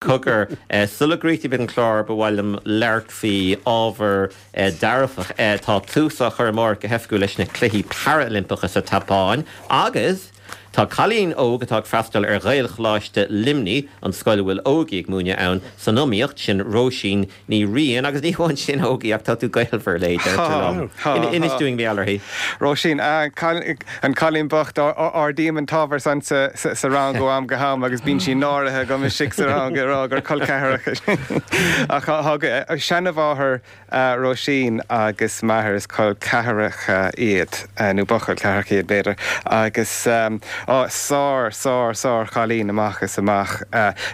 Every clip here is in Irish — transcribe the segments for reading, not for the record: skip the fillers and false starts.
Cogar, sula gcríochnaímid an clár, ba mhaith liom labhairt faoi ábhar dearfach. Tá tús á chur amárach go hoifigiúil leis na Cluichí Parailimpeacha sa tSeapáin agus tá cailín óg atá ag freastal ar Ghaelcholáiste Luimnigh, an scoil a bhfuil Ógie ag múineadh ann, san iomaíocht, sin Róisín Ní Riain, agus ní hamháin sin, Ógie, ach tá tú gaolmhar léi, deirtear liom. Inis dúinn mar gheall uirthi. Róisín, An cailín bocht, ardaím an t-ábhar san sa rang ó am go ham agus bíonn sí náirithe agam istigh sa rang ag rá gur col ceathracha sinn. Ach tá seanamháthair Róisín agus m'athair, is col ceathracha iad, nó ba chol ceathracha iad b'fhéidir, agus sár, sár, sár chailín amach is amach.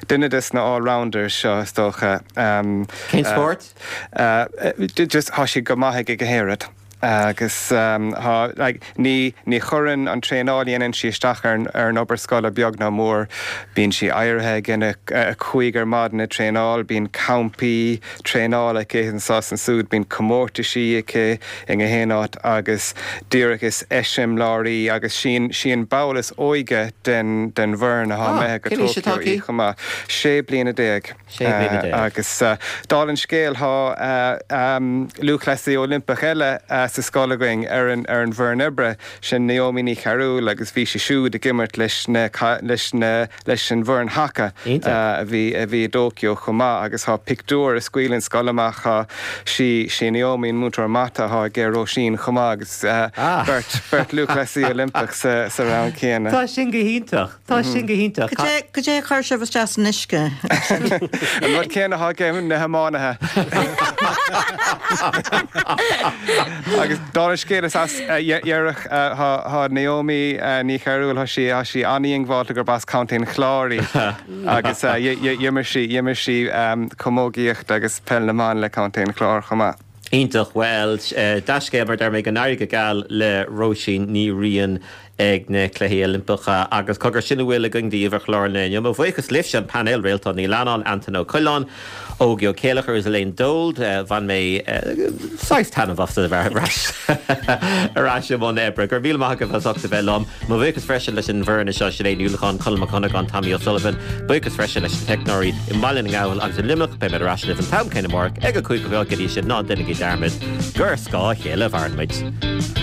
Duine des na all-rounders seo is dócha. Cén spórt? Just tá sí go maith ag gach aon rud agus tá like ní ní chuireann an traenáil a dhéanann sí isteach ar ar an obair scoile beag ná mór. Bíonn sí éirithe ag a 5 ar maidin ag traenáil, bíonn campaí traenála aici anso is ansúd, bíonn comórtaisí aici i ngach aon áit agus díreach is eiseamláir í agus sí sí an ball is óige den den bhfoireann atá imithe go Cén aois atá Tokyo í aici? chomh maith. 16 bliana. 16 bliana. Agus dála an scéil tá lúthchleasaí Oilimpeach eile sa scoil againn ar an ar an bhfoireann oibre, sin Naomi Ní Chearúil agus bhí sí siúd ag imirt leis na leis na leis an bhfoireann haca a bhí a bhí i dTóiceo chomh maith agus tá pictiúr a scaoil an scoil amach tá sí sí Naomi an múinteoir mata atá ag Róisín chomh maith agus beirt beirt lúthchleasaí Oilimpeach sa sa rang céanna. Tá sin go hiontach. Tá sin go hiontach. Cad é a chuir sibh isteach san uisce? An rud céanna atá ag na hiománaithe. Agus dála an scéil is as dheireadh tá Naomi Ní Chearúil, tá sí tá sí an-dhiongbháilte gurb as Contae an Chláir í agus d'imir sí d'imir sí camógaíocht agus peil na mban le Contae an Chláir chomh maith. Iontach. Bhuel, dea-scéal mar a deir mé, go n-éirí go geal le Róisín Ní Riain ag na Cluichí Oilimpeacha. Agus cogar, sin a bhfuil againn daoibh ar chlár an lae inniu. Mo bhuíochas libhse, an painéal, Réaltán Ní Leannáin, Antain Ó Coileáin, Ógie Ó Céileachair agus Elaine Dold. Bhain mé saghas taitneamh as a bheith ar ais ar ais i mbun oibre. Go raibh míle maith agaibh as ucht a bheith liom. Mo bhuíochas freisin leis an bhfoireann anseo, Sinéad Ní Uallacháin, Conall Mac Dhonnagáin, Tommy O'Sullivan. Buíochas freisin leis na teicneoirí i mBaile na nGall agus i Luimneach. Beidh mé ar ais libh an t-am céanna amárach ag a 5 a chlog. Go dtí sin, ná déanaigí dearmad gur ar scáth a chéile a mhaireann muid.